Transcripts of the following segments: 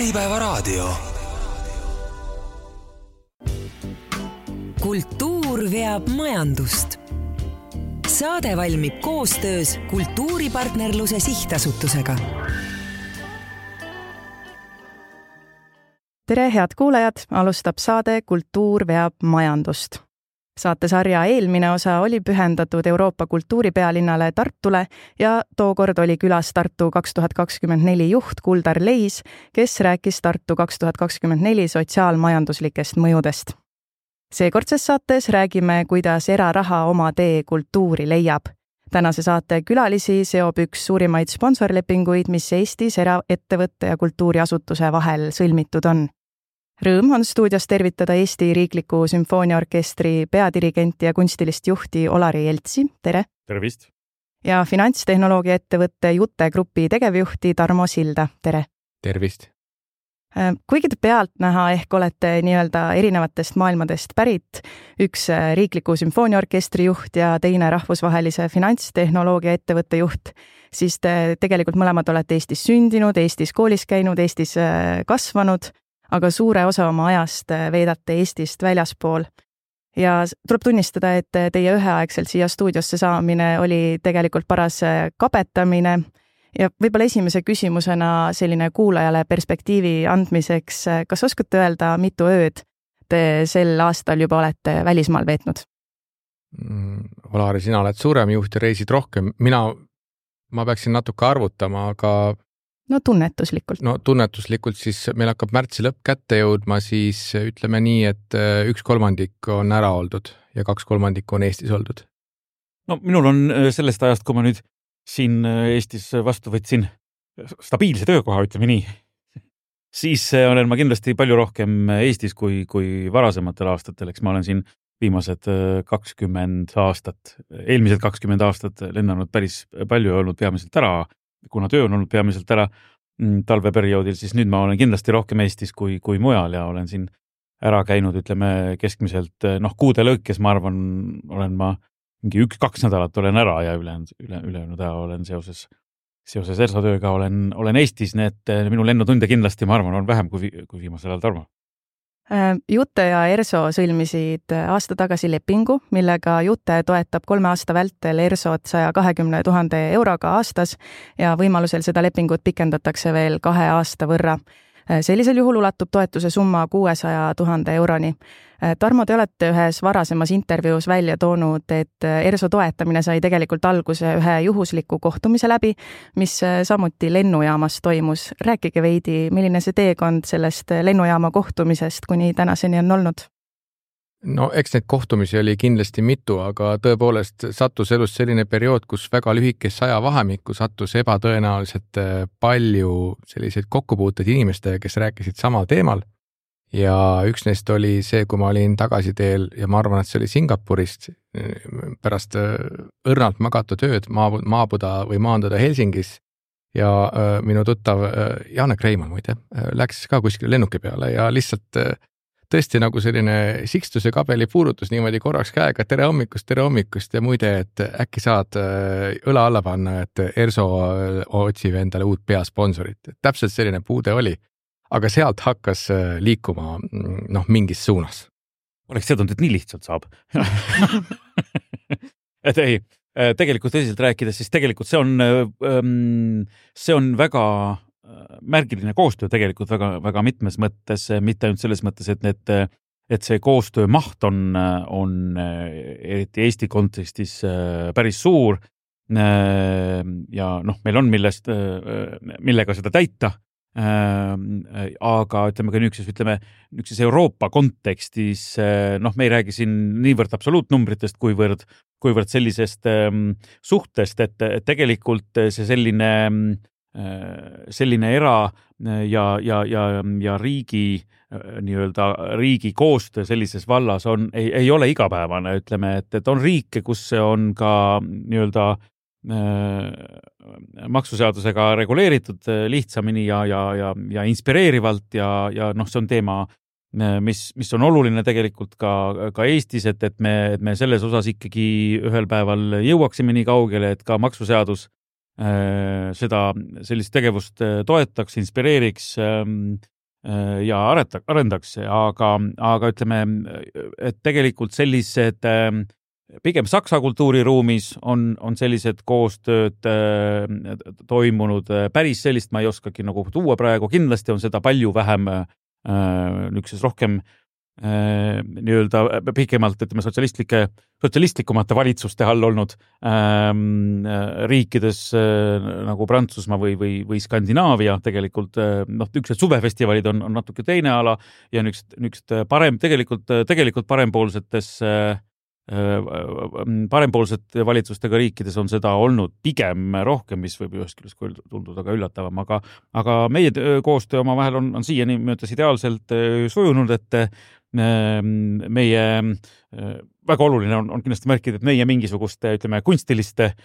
Äripäevaraadio. Kultuur veab majandust. Saade valmib koostöös Kultuuripartnerluse Sihtasutusega. Tere, head kuulajad! Alustab saade Kultuur veab majandust. Saatesarja eelmine osa oli pühendatud Euroopa kultuuripealinnale Tartule ja tookord oli külas Tartu 2024 juht Kuldar Leis, kes rääkis Tartu 2024 sotsiaalmajanduslikest mõjudest. Seekordses saates räägime, kuidas eraraha oma tee kultuuri leiab. Tänase saate külalisi seob üks suurimaid sponsorlepinguid, mis Eestis eraettevõtte ja kultuuriasutuse vahel sõlmitud on. Rõõm on stuudios tervitada Eesti Riikliku Sümfooniaorkestri peadirigenti ja kunstilist juhti Olari Jeltsi. Tere! Tervist! Ja finantstehnoloogia ettevõtte Jute Grupi tegevjuhti Tarmo Silda. Tere! Tervist! Kuigi te pealtnäha ehk olete nii-öelda erinevatest maailmadest pärit, üks Riikliku Sümfooniaorkestri juht ja teine rahvusvahelise finantstehnoloogia ettevõtte juht, siis te tegelikult mõlemad olete Eestis sündinud, Eestis koolis käinud, Eestis kasvanud, aga suure osa oma ajast veedate Eestist väljaspool. Ja tuleb tunnistada, et teie üheaegselt siia stuudiosse saamine oli tegelikult paras kabetamine ja võib-olla esimese küsimusena selline kuulajale perspektiivi andmiseks, kas oskate öelda, mitu ööd te sel aastal juba olete välismaal veetnud? Olari, sina oled suurem juht ja reisid rohkem. Ma peaksin natuke arvutama, aga No tunnetuslikult siis meil hakkab märtsi lõpp kätte jõudma, siis ütleme nii, et 1/3 on ära oldud ja 2/3 on Eestis oldud. No minul on sellest ajast, kui ma nüüd siin Eestis vastu võtsin stabiilse töökoha, ütleme nii, siis olen ma kindlasti palju rohkem Eestis kui varasematel aastatel, eks ma olen siin viimased 20 aastat, eelmised 20 aastat lennanud päris palju ja olnud peamiselt ära, kuna töö on olnud peamiselt ära talveperioodil, siis nüüd ma olen kindlasti rohkem Eestis kui mujal ja olen siin ära käinud, ütleme keskmiselt, kuude lõikes, ma arvan, olen ma mingi 1-2 nädalat olen ära ja ülejäänud aja olen seoses ERSO tööga olen Eestis, need minu lennutunde kindlasti, ma arvan, on vähem kui viimasel ajal, Tarmo. Jute ja ERSO sõlmisid aasta tagasi lepingu, millega Jute toetab 3 aasta vältel ERSOt 120 000 euroga aastas ja võimalusel seda lepingut pikendatakse veel 2 aasta võrra. Sellisel juhul ulatub toetuse summa 600 000 euroni. Tarmo, te olete ühes varasemas intervjuus välja toonud, et ERSO toetamine sai tegelikult alguse ühe juhusliku kohtumise läbi, mis samuti lennujaamas toimus. Rääkige veidi, milline see teekond sellest lennujaama kohtumisest kuni tänaseni on olnud? No eks neid kohtumisi oli kindlasti mitu, aga tõepoolest sattus elus selline periood, kus väga lühikest ajavahemikku sattus ebatõenäoliselt palju selliseid kokkupuuteid inimestega, kes rääkisid samal teemal. Ja üks neist oli see, kui ma olin tagasiteel ja ma arvan, et see oli Singapurist pärast õrnalt magatud ööd maabuda või maanduda Helsingis ja minu tuttav Janek Reimann muide läks ka kuskile lennuki peale ja lihtsalt tõesti nagu selline sikstuse kabeli puudutus niimoodi korraks käega, tere hommikust ja muide, et äkki saad õla alla panna, et ERSO otsib endale uut peasponsorit. Täpselt selline puude oli, aga sealt hakkas liikuma mingis suunas. Oleks teadnud, et nii lihtsalt saab. Et ei, tegelikult tõsiselt rääkides, siis tegelikult see on väga märgiline koostöö tegelikult väga mitmes mõttes, mitte ainult selles mõttes, et see koostöö maht on eriti Eesti kontekstis päris suur ja meil on millega seda täita, aga ütleme ka niisuguses Euroopa kontekstis, me ei räägi siin niivõrd absoluutnumbritest, kuivõrd sellisest suhtest, et tegelikult see selline era- ja riigi koostöö sellises vallas ei ole igapäevane, ütleme, et on riike, kus see on ka maksuseadusega reguleeritud lihtsamini ja inspireerivalt ja see on teema, mis on oluline tegelikult ka Eestis, et me selles osas ikkagi ühel päeval jõuaksime nii kaugele, et ka maksuseadus sellist tegevust toetaks, inspireeriks ja arendaks, aga ütleme, et tegelikult sellised pigem Saksa kultuuriruumis on sellised koostööd toimunud, päris sellist ma ei oskagi nagu tuua praegu, kindlasti on seda palju vähem niisuguses rohkem nii-öelda pikemalt, ütleme, sotsialistlikumate valitsuste all olnud riikides nagu Prantsusmaa või Skandinaavia tegelikult, niisugused suvefestivalid on natuke teine ala ja niisugused tegelikult parempoolsete valitsustega riikides on seda olnud pigem rohkem, mis võib ühest küljest tunduda ka üllatavam, aga meie koostöö omavahel on siiani möödas ideaalselt sujunud, et meie väga oluline on kindlasti märkida, et meie mingisugust, ütleme, kunstiliste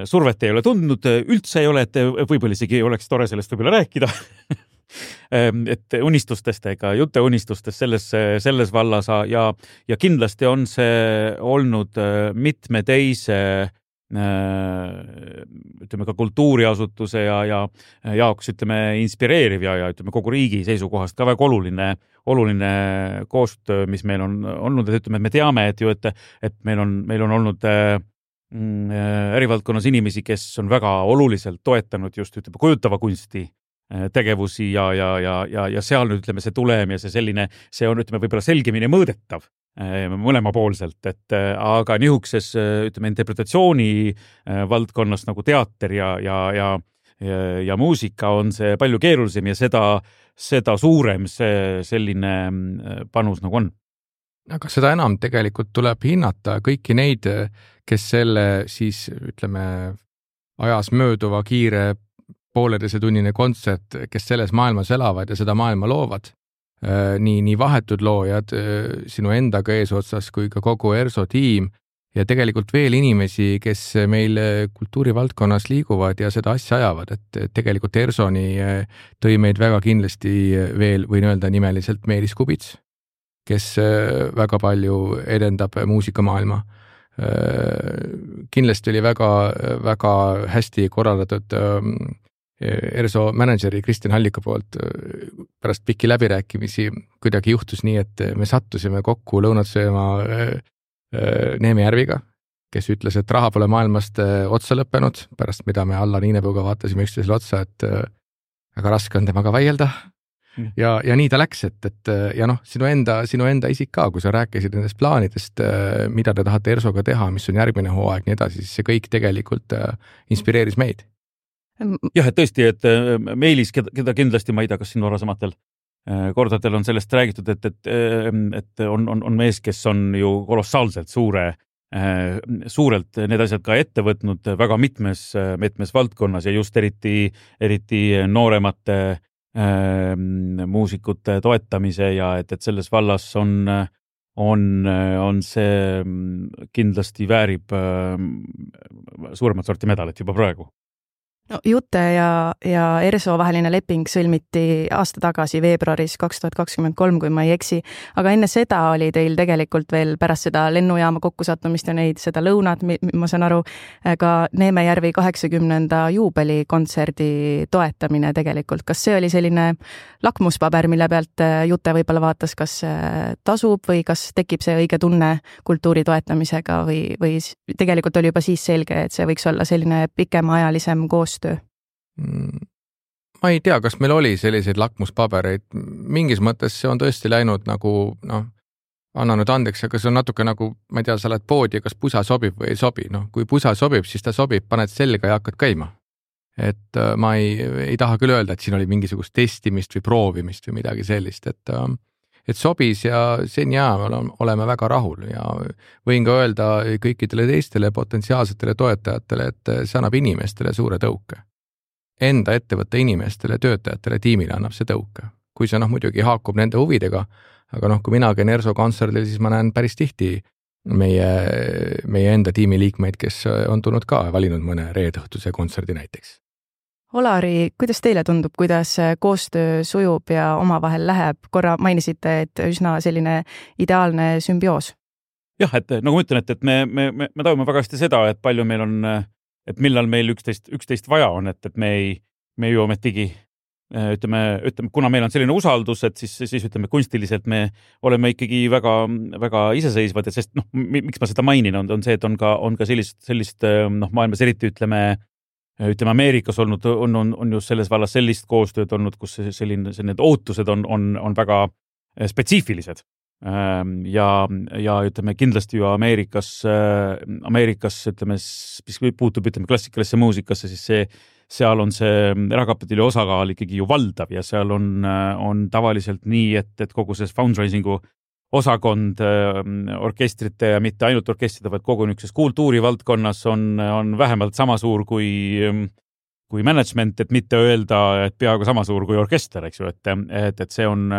survet ei ole tundnud, üldse ei ole, et võib-olla isegi oleks tore sellest võib-olla rääkida. Et unistustest ega jutte unistustest selles vallas ja kindlasti on see olnud mitme teise ütleme ka kultuuriasutuse ja jaoks ütleme inspireeriv ja ütleme kogu riigi seisukohast ka väga oluline koostöö, mis meil on olnud, et ütleme, et me teame, et meil on olnud ärivaldkonnas inimesi, kes on väga oluliselt toetanud just ütleme kujutava kunsti tegevusi ja seal nüüd ütleme see tulem ja see on ütleme võib-olla selgemini mõõdetav mõlemapoolselt, et aga nihukeses ütleme interpretatsiooni valdkonnas nagu teater ja muusika on see palju keerulisem ja seda suurem see selline panus nagu on. Aga seda enam tegelikult tuleb hinnata kõiki neid, kes selle siis ütleme ajas mööduva kiire pooleteisetunnine kontsert, kes selles maailmas elavad ja seda maailma loovad. Nii vahetud loojad sinu endaga eesotsas kui ka kogu ERSO tiim ja tegelikult veel inimesi, kes meil kultuurivaldkonnas liiguvad ja seda asja ajavad, et tegelikult ERSO-ni tõi meid väga kindlasti veel, võin öelda nimeliselt Meelis Kubits, kes väga palju edendab muusikamaailma. Kindlasti oli väga hästi korraldatud ERSO mänedžeri Kristjan Hallika poolt pärast pikki läbirääkimisi kuidagi juhtus nii, et me sattusime kokku lõunat sööma Neeme Järviga, kes ütles, et raha pole maailmast otsa lõppenud, pärast mida me Allar Niinepuuga vaatasime üksteisele otsa, et väga raske on temaga vaielda. Ja nii ta läks, et ja sinu enda isik ka, kui sa rääkisid nendest plaanidest, mida te tahate ERSO-ga teha, mis on järgmine hooaeg, nii edasi, siis see kõik tegelikult inspireeris meid. Jah, et tõesti, et Meelis, keda kindlasti ma ei tea, kas siin varasematel kordadel on sellest räägitud, et on mees, kes on ju kolossaalselt suurelt need asjad ka ette võtnud väga mitmes valdkonnas ja just eriti nooremate muusikute toetamise ja et selles vallas on see kindlasti väärib suuremat sorti medalit juba praegu. No, Jute ja ERSO vaheline leping sõlmiti aasta tagasi veebruaris 2023, kui ma ei eksi, aga enne seda oli teil tegelikult veel pärast seda lennujaama kokkusattumist ja seda lõunat, ma saan aru, ka Neeme Järvi 80. juubelikontserdi toetamine tegelikult. Kas see oli selline lakmuspaber, mille pealt Jute võib-olla vaatas, kas tasub või kas tekib see õige tunne kultuuri toetamisega või tegelikult oli juba siis selge, et see võiks olla selline pikemaajalisem koostöö? Ma ei tea, kas meil oli selliseid lakmuspabereid. Mingis mõttes see on tõesti läinud nagu, anna nüüd andeks, aga see on natuke nagu, ma ei tea, sa oled poodi ja kas pusa sobib või ei sobi. Kui pusa sobib, siis ta sobib, paned selga ja hakkad käima. Et ma ei taha küll öelda, et siin oli mingisugust testimist või proovimist või midagi sellist, et sobis ja sen oleme väga rahul ja võin ka öelda kõikidele teistele potentsiaalsetele toetajatele, et see annab inimestele suure tõuke. Enda ettevõtte inimestele, töötajatele, tiimile annab see tõuke. Kui see muidugi haakub nende huvidega, aga kui mina käin ERSO kontserdil, siis ma näen päris tihti meie enda tiimi liikmeid, kes on tulnud ka valinud mõne reedõhtuse kontserdi näiteks. Olari, kuidas teile tundub, kuidas koostöö sujub ja omavahel läheb? Korra mainisite, et üsna selline ideaalne sümbioos. Jah, et nagu ma ütlen, et me tajume väga hästi seda, et palju meil on, et millal meil üksteist vaja on, et me ju ometigi ütleme, kuna meil on selline usaldus, et siis ütleme, kunstiliselt me oleme ikkagi väga, väga iseseisvad, et sest miks ma seda mainin, on see, et on ka sellist maailmas eriti ütleme Ameerikas olnud, on just selles vallas sellist koostööd olnud, kus selline ootused on väga spetsiifilised. Ja ütleme kindlasti ju Ameerikas ütleme, mis puutub klassikalisse muusikasse, siis seal on see erakapitali osakaal ikkagi ju valdav ja seal on tavaliselt nii, et kogu see fundraisingu osakond orkestrite ja mitte ainult orkestrite, vaid kogu niisuguses kultuurivaldkonnas on vähemalt sama suur kui management, et mitte öelda, et peaaegu sama suur kui orkester, eks ju, et see on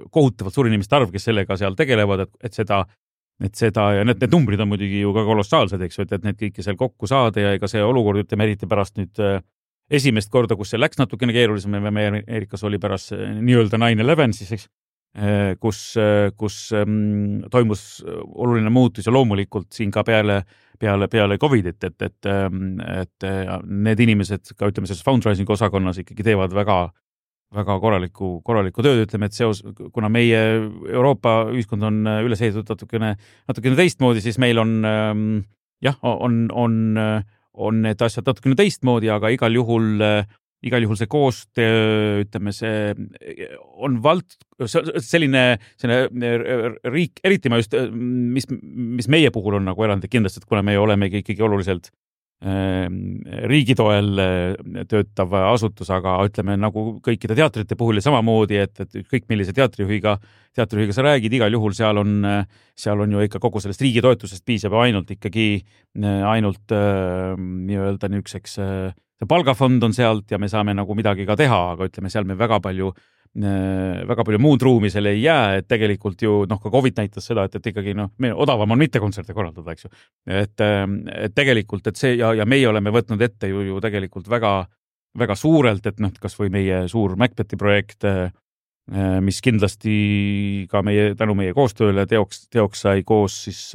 kohutavalt suur inimeste arv, kes sellega seal tegelevad, et seda ja need numbrid on muidugi ju ka kolossaalsed, eks ju, et need kõike seal kokku saada ja ega see olukord, ütleme eriti pärast nüüd esimest korda, kus see läks natukene keerulisem, meie Ameerikas oli pärast nii-öelda 9/11 siis, eks, kus toimus oluline muutus ja loomulikult siin ka peale Covidit, et need inimesed ka ütleme selles fundraising osakonnas ikkagi teevad väga korralikku tööd, ütleme, et kuna meie Euroopa ühiskond on üles ehitatud natukene teistmoodi, siis meil on need asjad natukene teistmoodi, aga igal juhul see koostöö, ütleme, see on selline riik, eriti ma just, mis meie puhul on nagu erandlik kindlasti, et kuna me oleme ikkagi oluliselt riigi toel töötav asutus, aga ütleme nagu kõikide teatrite puhul ja samamoodi, et kõik millise teatrijuhiga sa räägid, igal juhul seal on ju ikka kogu sellest riigi toetusest piisab ainult nii-öelda niisuguseks palgafond on sealt ja me saame nagu midagi ka teha, aga ütleme, seal me väga palju muud ruumi selle ei jää, et tegelikult ju ka Covid näitas seda, et ikkagi odavam on mitte kontserte korraldada, eks ju. Et tegelikult, et see ja meie oleme võtnud ette ju tegelikult väga, väga suurelt, et kas või meie suur Macbethi projekt, mis kindlasti ka tänu meie koostööle teoks sai koos siis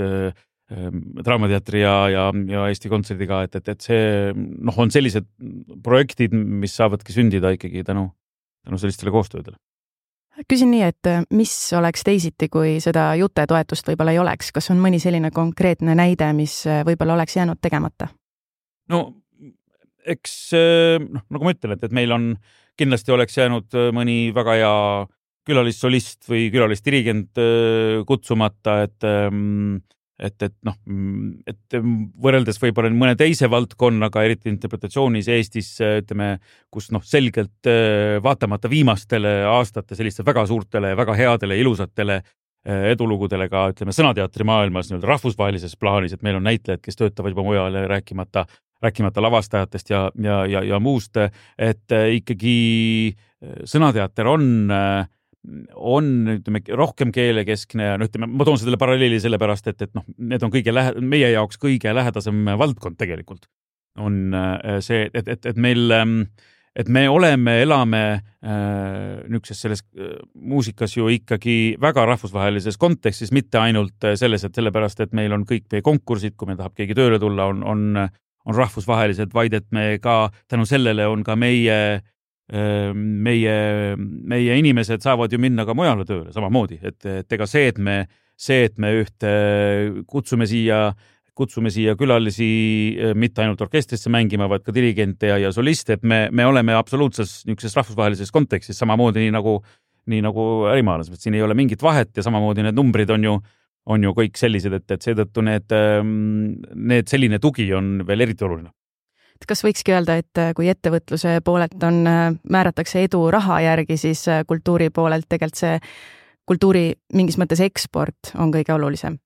Draamateatri ja Eesti Kontserdiga, et see on sellised projektid, mis saavadki sündida ikkagi tänu sellistele koostöödele. Küsin nii, et mis oleks teisiti, kui seda Jute toetust võib-olla ei oleks? Kas on mõni selline konkreetne näide, mis võib-olla oleks jäänud tegemata? No, eks, nagu ma ütlen, et meil on kindlasti oleks jäänud mõni väga hea külalissolist või külalisdirigent kutsumata, et võrreldes võib-olla mõne teise valdkonnaga, eriti interpretatsioonis Eestis, ütleme, kus selgelt vaatamata viimastele aastate selliste väga suurtele, väga headele, ilusatele edulugudele ka, ütleme, sõnateatri maailmas rahvusvahelises plaanis, et meil on näitlejad, kes töötavad juba mujal, rääkimata lavastajatest ja muust, et ikkagi sõnateater on ütleme, rohkem keelekeskne ja ütleme, ma toon selle paralleeli sellepärast, et need on meie jaoks kõige lähedasem valdkond tegelikult. On see, et me elame niisuguses selles muusikas ju ikkagi väga rahvusvahelises kontekstis, mitte ainult selles, et sellepärast, et meil on kõik meie konkursid, kui meil tahab keegi tööle tulla, on rahvusvahelised, vaid et me ka tänu sellele on ka meie inimesed saavad ju minna ka mujale tööle samamoodi, et ega see, et me kutsume siia külalisi mitte ainult orkestrisse mängima, vaid ka dirigente ja soliste, et me oleme absoluutses niisuguses rahvusvahelises kontekstis samamoodi nii nagu ärimaailmas, et siin ei ole mingit vahet ja samamoodi need numbrid on ju kõik sellised, et seetõttu need selline tugi on veel eriti oluline. Kas võikski öelda, et kui ettevõtluse poolelt määratakse edu raha järgi, siis kultuuri poolelt tegelikult see kultuuri mingis mõttes eksport on kõige olulisem?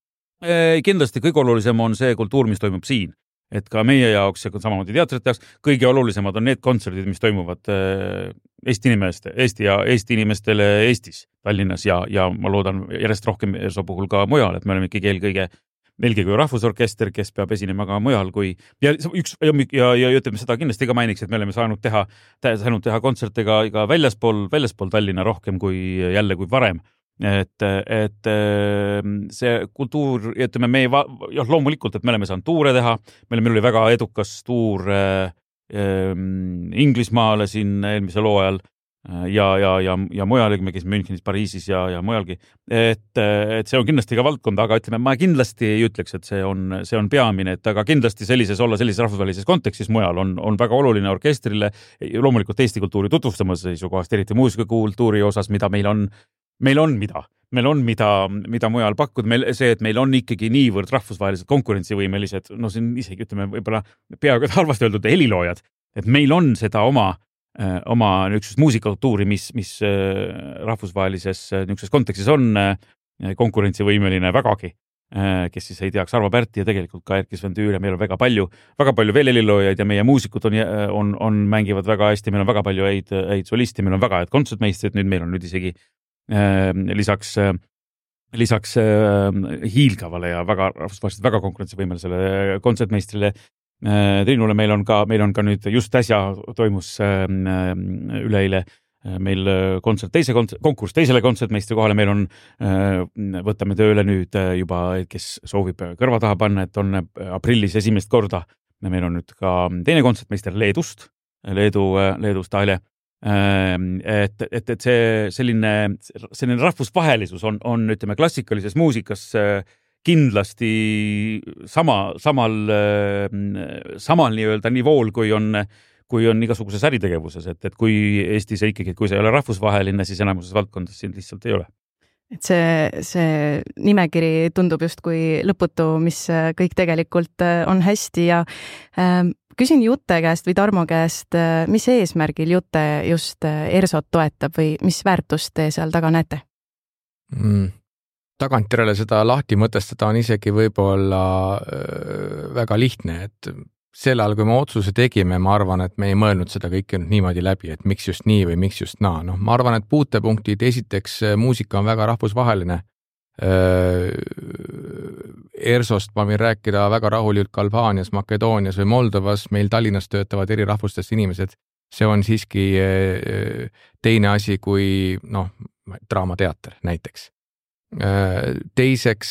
Kindlasti kõige olulisem on see kultuur, mis toimub siin. Et ka meie jaoks ja samamoodi teatrite jaoks kõige olulisemad on need kontserdid, mis toimuvad Eesti inimestele Eestis, Tallinnas ja ma loodan järjest rohkem ERSO puhul ka mujal, et me oleme ikkagi eelkõige kui rahvusorkester, kes peab esinema ka mujal ja ütleme seda kindlasti ka mainiks, et me oleme saanud teha kontserte ka väljaspool Tallinna rohkem kui varem. Et see kultuur, ütleme loomulikult, et me oleme saanud tuure teha, meil oli väga edukas tuur Inglismaale siin eelmisel hooajal, ja mujalegi, me käisime Münchenis, Pariisis ja mujalgi. Et see on kindlasti ka valdkond, aga ütleme, ma kindlasti ei ütleks, et see on peamine, et aga kindlasti sellises rahvusvahelises kontekstis mujal on väga oluline orkestrile, loomulikult Eesti kultuuri tutvustamas seisukohast, eriti muusikakultuuri osas, mida meil on mida mujal pakkuda, see, et meil on ikkagi niivõrd rahvusvaheliselt konkurentsivõimelised, no siin isegi ütleme võib-olla peaaegu halvasti öeldud heliloojad, et meil on seda oma niisugust muusikakultuuri, mis rahvusvahelises niisuguses kontekstis on konkurentsivõimeline vägagi, kes siis ei teaks Arvo Pärti ja tegelikult ka Erkki Sven Tüür ja meil on väga palju veel heliloojaid ja meie muusikud mängivad väga hästi, meil on väga palju häid solisti, meil on väga häid kontsertmeistrid, nüüd meil on isegi lisaks hiilgavale ja väga rahvusvaheliselt väga konkurentsivõimelisele kontsertmeistrile Triinule meil on ka nüüd just äsja toimus üleeile meil konkurss teisele kontsertmeistri kohale, meil on, võtame tööle nüüd juba, kes soovib kõrva taha panna, et on aprillis esimest korda, meil on nüüd ka teine kontsertmeister Leedust Aile. Et see selline rahvusvahelisus on ütleme klassikalises muusikas kindlasti samal nii-öelda nivool, kui on igasuguses äritegevuses, et kui Eestis ikkagi, kui see ei ole rahvusvaheline, siis enamuses valdkondades siin lihtsalt ei ole. Et see nimekiri tundub just kui lõputu, mis kõik tegelikult on hästi ja küsin Jutte käest või Tarmo käest, mis eesmärgil Jutte just ERSOt toetab või mis väärtust te seal taga näete? Tagantjärele seda lahti mõtestada on isegi võib-olla väga lihtne, et sel ajal, kui me otsuse tegime, ma arvan, et me ei mõelnud seda kõike niimoodi läbi, et miks just nii või miks just naa. No, ma arvan, et puutepunktid, esiteks muusika on väga rahvusvaheline. ERSOst ma võin rääkida väga rahulikult Albaanias, Makedoonias või Moldovas, meil Tallinnas töötavad eri rahvustest inimesed. See on siiski teine asi kui draamateater näiteks. Teiseks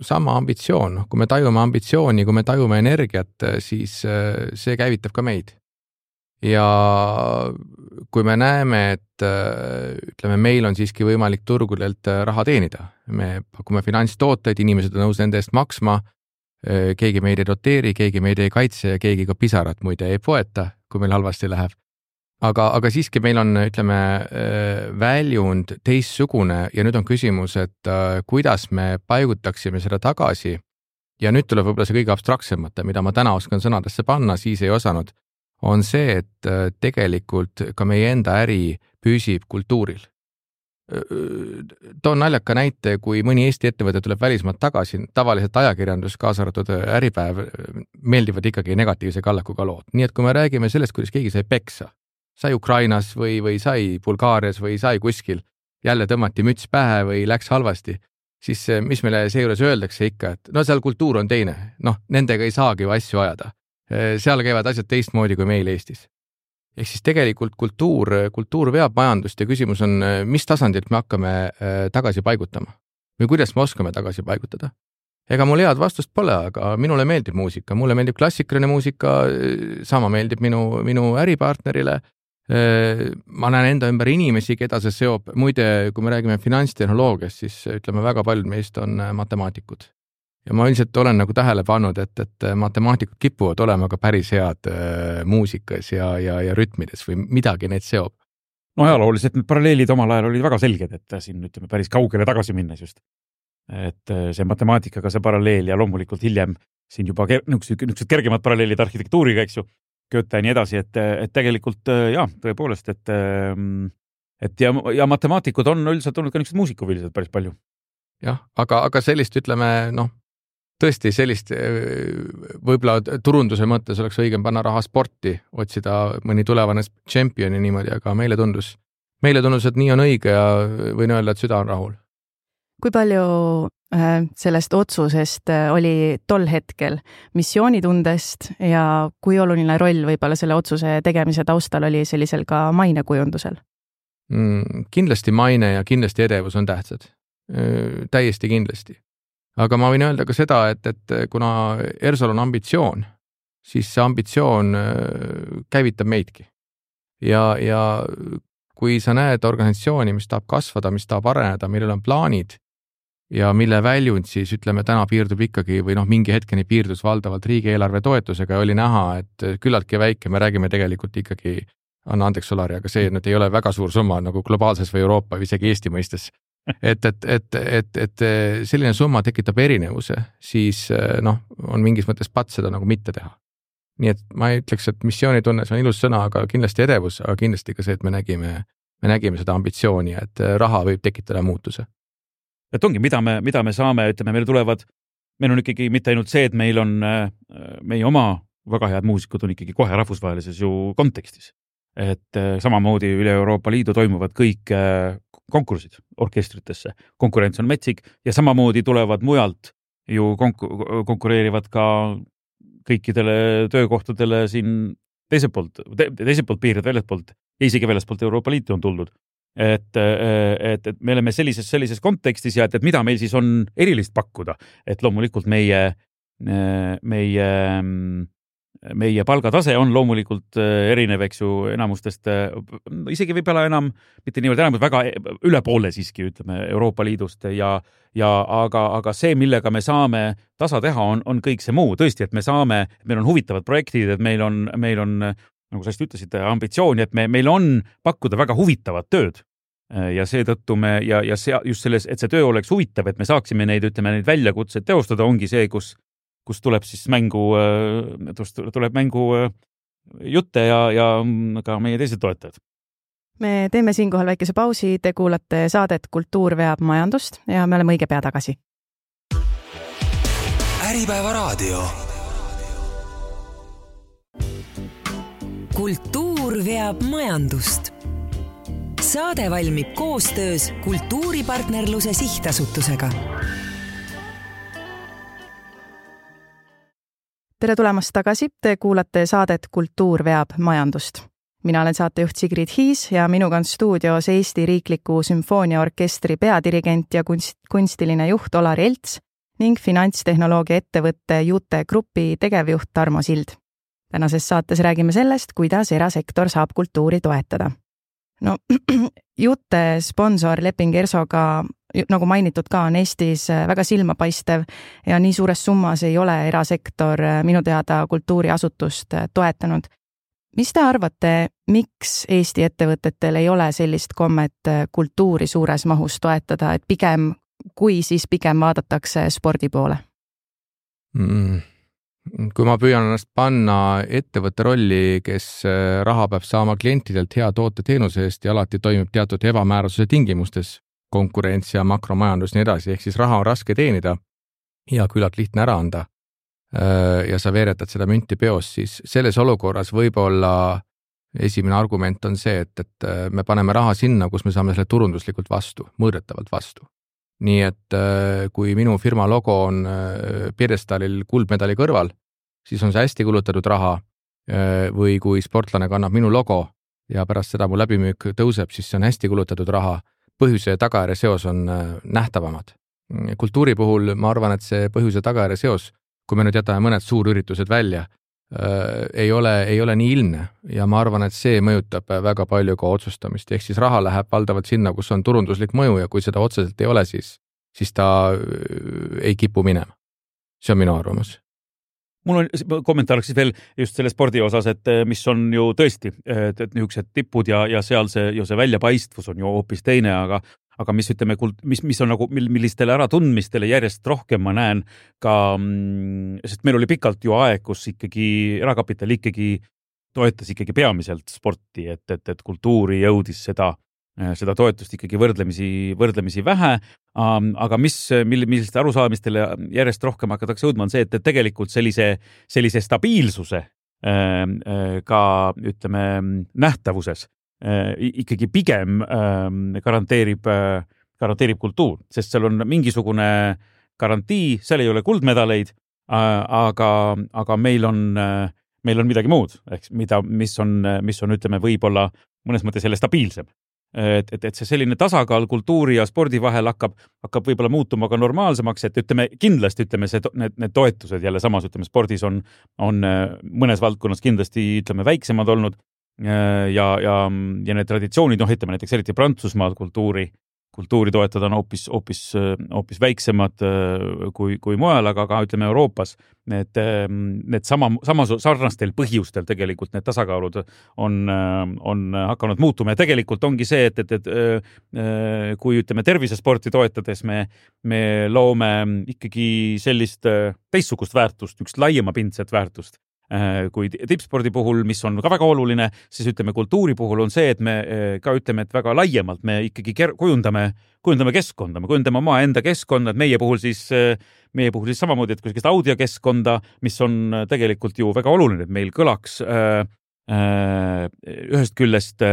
sama ambitsioon, kui me tajume ambitsiooni, kui me tajume energiat, siis see käivitab ka meid. Ja kui me näeme, et ütleme, meil on siiski võimalik turgudelt raha teenida, me pakume finantstooteid, inimesed on nõus nende eest maksma, keegi meid ei doteeri, keegi meid ei kaitse ja keegi ka pisarat muide ei poeta, kui meil halvasti läheb. Aga siiski meil on, ütleme, väljund teistsugune ja nüüd on küsimus, et kuidas me paigutaksime seda tagasi ja nüüd tuleb võib-olla see kõige abstraktsemate, mida ma täna oskan sõnadesse panna, siis ei osanud, on see, et tegelikult ka meie enda äri püsib kultuuril. Toon naljaka näite, kui mõni Eesti ettevõte tuleb välismaalt tagasi, tavaliselt ajakirjandus, kaasa arvatud Äripäev, meeldivad ikkagi negatiivse kallakuga lood. Nii et kui me räägime sellest, kuidas keegi sai peksa, sai Ukrainas või sai Bulgaarias või sai kuskil, jälle tõmmati müts pähe või läks halvasti, siis mis meile seejuures öeldakse ikka, et seal kultuur on teine, nendega ei saagi ju asju ajada. Seal käivad asjad teistmoodi kui meil Eestis. Ehk siis tegelikult kultuur veab majandust ja küsimus on, mis tasandilt me hakkame tagasi paigutama või kuidas me oskame tagasi paigutada. Ega mul head vastust pole, aga minule meeldib muusika, mulle meeldib klassikaline muusika, sama meeldib minu äripartnerile. Ma näen enda ümber inimesi, keda see seob. Muide, kui me räägime finantstehnoloogiast, siis ütleme, väga paljud meist on matemaatikud. Ja ma üldiselt olen nagu tähele pannud, et matemaatikud kipuvad olema ka päris head muusikas ja rütmides või midagi neid seob. No ajalooliselt need paralleelid omal ajal olid väga selged, et siin ütleme päris kaugele tagasi minnes just. Et see matemaatikaga see paralleel ja loomulikult hiljem siin juba niisugused kergemad paralleelid arhitektuuriga, eks ju, Goethe ja nii edasi, et tegelikult tõepoolest, et ja matemaatikud on üldiselt olnud ka niisugused muusikuvilised päris palju. Jah, aga sellist, ütleme, tõesti sellist võib-olla turunduse mõttes oleks õigem panna raha sporti, otsida mõni tulevane tšempioni niimoodi, aga meile tundus, et nii on õige ja võin öelda, et süda on rahul. Kui palju sellest otsusest oli tol hetkel missioonitundest ja kui oluline roll võib-olla selle otsuse tegemise taustal oli sellisel ka mainekujundusel? Kindlasti maine ja kindlasti edevus on tähtsad. Täiesti kindlasti. Aga ma võin öelda ka seda, et kuna ERSOl on ambitsioon, siis see ambitsioon käivitab meidki. Ja kui sa näed organisatsiooni, mis tahab kasvada, mis tahab areneda, millel on plaanid ja mille väljund siis ütleme täna piirdub ikkagi või mingi hetkeni piirdus valdavalt riigieelarve toetusega ja oli näha, et küllaltki väike, me räägime tegelikult ikkagi, anna andeks Solari, aga see nüüd ei ole väga suur summa nagu globaalses või Euroopa või isegi Eesti mõistes. Et selline summa tekitab erinevuse, siis on mingis mõttes pats seda nagu mitte teha. Nii et ma ei ütleks, et missioonitunne, see on ilus sõna, aga kindlasti edevus, aga kindlasti ka see, et me nägime seda ambitsiooni, et raha võib tekitada muutuse. Et ongi, mida me saame, ütleme, meil on ikkagi mitte ainult see, et meil on meie oma väga head muusikud on ikkagi kohe rahvusvahelises ju kontekstis. Et samamoodi üle Euroopa Liidu toimuvad kõik konkursid orkestritesse. Konkurents on metsik ja samamoodi tulevad mujalt ju konkureerivad ka kõikidele töökohtadele siin teiselt poolt piirid väljastpoolt ja isegi väljastpoolt Euroopa Liitu on tuldud. Et me oleme sellises kontekstis ja et mida meil siis on erilist pakkuda, et loomulikult meie palgatase on loomulikult erinev, eks ju, enamustest, isegi võib-olla enam, mitte niivõrd enam, väga üle poole siiski, ütleme, Euroopa Liidust aga see, millega me saame tasa teha, on kõik see muu. Tõesti, et meil on huvitavad projektid, et meil on, nagu sa ütlesid, ambitsiooni, et meil on pakkuda väga huvitavat tööd. Ja seetõttu just selles, et see töö oleks huvitav, et me saaksime neid väljakutseid teostada, ongi see, kus tuleb siis mängu jutte ja ka meie teised toetajad. Me teeme siinkohal väikese pausi, te kuulate saadet Kultuur veab majandust ja me oleme õige pea tagasi. Äripäeva raadio. Kultuur veab majandust. Saade valmib koostöös Kultuuripartnerluse Sihtasutusega. Tere tulemast tagasi, te kuulate saadet Kultuur veab majandust. Mina olen saatejuht Sigrid Hiis ja minuga on stuudios Eesti Riikliku Sümfooniaorkestri peadirigent ja kunstiline juht Olari Elts ning finantstehnoloogia ettevõtte Jute Grupi tegevjuht Tarmo Sild. Tänases saates räägime sellest, kuidas erasektor saab kultuuri toetada. Jute sponsorleping ERSOga, nagu mainitud ka, on Eestis väga silmapaistev ja nii suures summas ei ole erasektor minu teada kultuuriasutust toetanud. Mis te arvate, miks Eesti ettevõtetel ei ole sellist kommet kultuuri suures mahus toetada, et pigem vaadatakse spordi poole? Kui ma püüan ennast panna ettevõtte rolli, kes raha peab saama klientidelt hea toote teenuse eest ja alati toimib teatud ebamäärasuse tingimustes, konkurents ja makromajandus nii edasi, ehk siis raha on raske teenida ja küllalt lihtne ära anda ja sa veeretad seda münti peos, siis selles olukorras võib-olla esimene argument on see, et me paneme raha sinna, kus me saame selle turunduslikult vastu, mõõdetavalt vastu. Nii et kui minu firma logo on pjedestaalil kuldmedali kõrval, siis on see hästi kulutatud raha või kui sportlane kannab minu logo ja pärast seda mu läbimüük tõuseb, siis see on hästi kulutatud raha. Põhjuse ja tagajärje seos on nähtavamad. Kultuuri puhul ma arvan, et see põhjuse tagajärje seos, kui me nüüd jätame mõned suurüritused välja, ei ole nii ilmne ja ma arvan, et see mõjutab väga palju ka otsustamist. Ehk siis raha läheb valdavalt sinna, kus on turunduslik mõju ja kui seda otseselt ei ole, siis ta ei kipu minema. See on minu arvamus. Mul on kommentaariks veel just selle spordi osas, et mis on ju tõesti niisugused tippud ja seal see väljapaistvus on ju hoopis teine, aga mis ütleme, mis on nagu, millistele äratundmistele järjest rohkem ma näen ka, sest meil oli pikalt ju aeg, kus ikkagi erakapital ikkagi toetas ikkagi peamiselt sporti, et kultuuri jõudis seda toetust ikkagi võrdlemisi vähe, aga milliste arusaamistele järjest rohkem hakatakse jõudma on see, et tegelikult sellise stabiilsuse ka ütleme nähtavuses ikkagi pigem garanteerib kultuur, sest seal on mingisugune garantii, seal ei ole kuldmedaleid, aga meil on midagi muud, mis on ütleme võib-olla mõnes mõttes selle stabiilsem. Et see selline tasakaal kultuuri ja spordi vahel hakkab võib-olla muutuma ka normaalsemaks, et kindlasti need toetused jälle samas, spordis on mõnes valdkonnas kindlasti väiksemad olnud, ja need traditsioonid, ütleme näiteks eriti Prantsusmaal kultuuri toetada on hoopis väiksemad kui mujal, aga ka ütleme Euroopas need sarnastel põhjustel tegelikult need tasakaalud on hakanud muutuma ja tegelikult ongi see, et kui ütleme tervisesporti toetades me loome ikkagi sellist teistsugust väärtust, üks laiemapindset väärtust kui tippspordi puhul, mis on ka väga oluline, siis ütleme kultuuri puhul on see, et me ka ütleme, et väga laiemalt me ikkagi kujundame keskkonda, me kujundame oma enda keskkonda, et meie puhul siis samamoodi, et kui audiokeskkonda, mis on tegelikult ju väga oluline, et meil kõlaks ühest küljest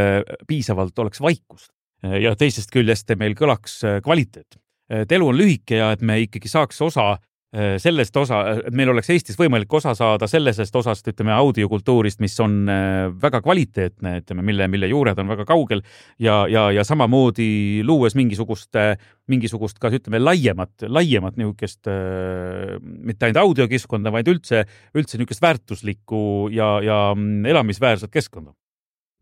piisavalt oleks vaikust ja teisest küljest meil kõlaks kvaliteet. Et elu on lühike ja et me ikkagi saaks sellest osa, et meil oleks Eestis võimalik osa saada sellisest osast, ütleme, audiokultuurist, mis on väga kvaliteetne, ütleme, mille juured on väga kaugel ja samamoodi luues mingisugust ka, ütleme, laiemat niisugust, mitte ainult audiokeskkonda, vaid üldse niisugust väärtuslikku ja elamisväärset keskkonda.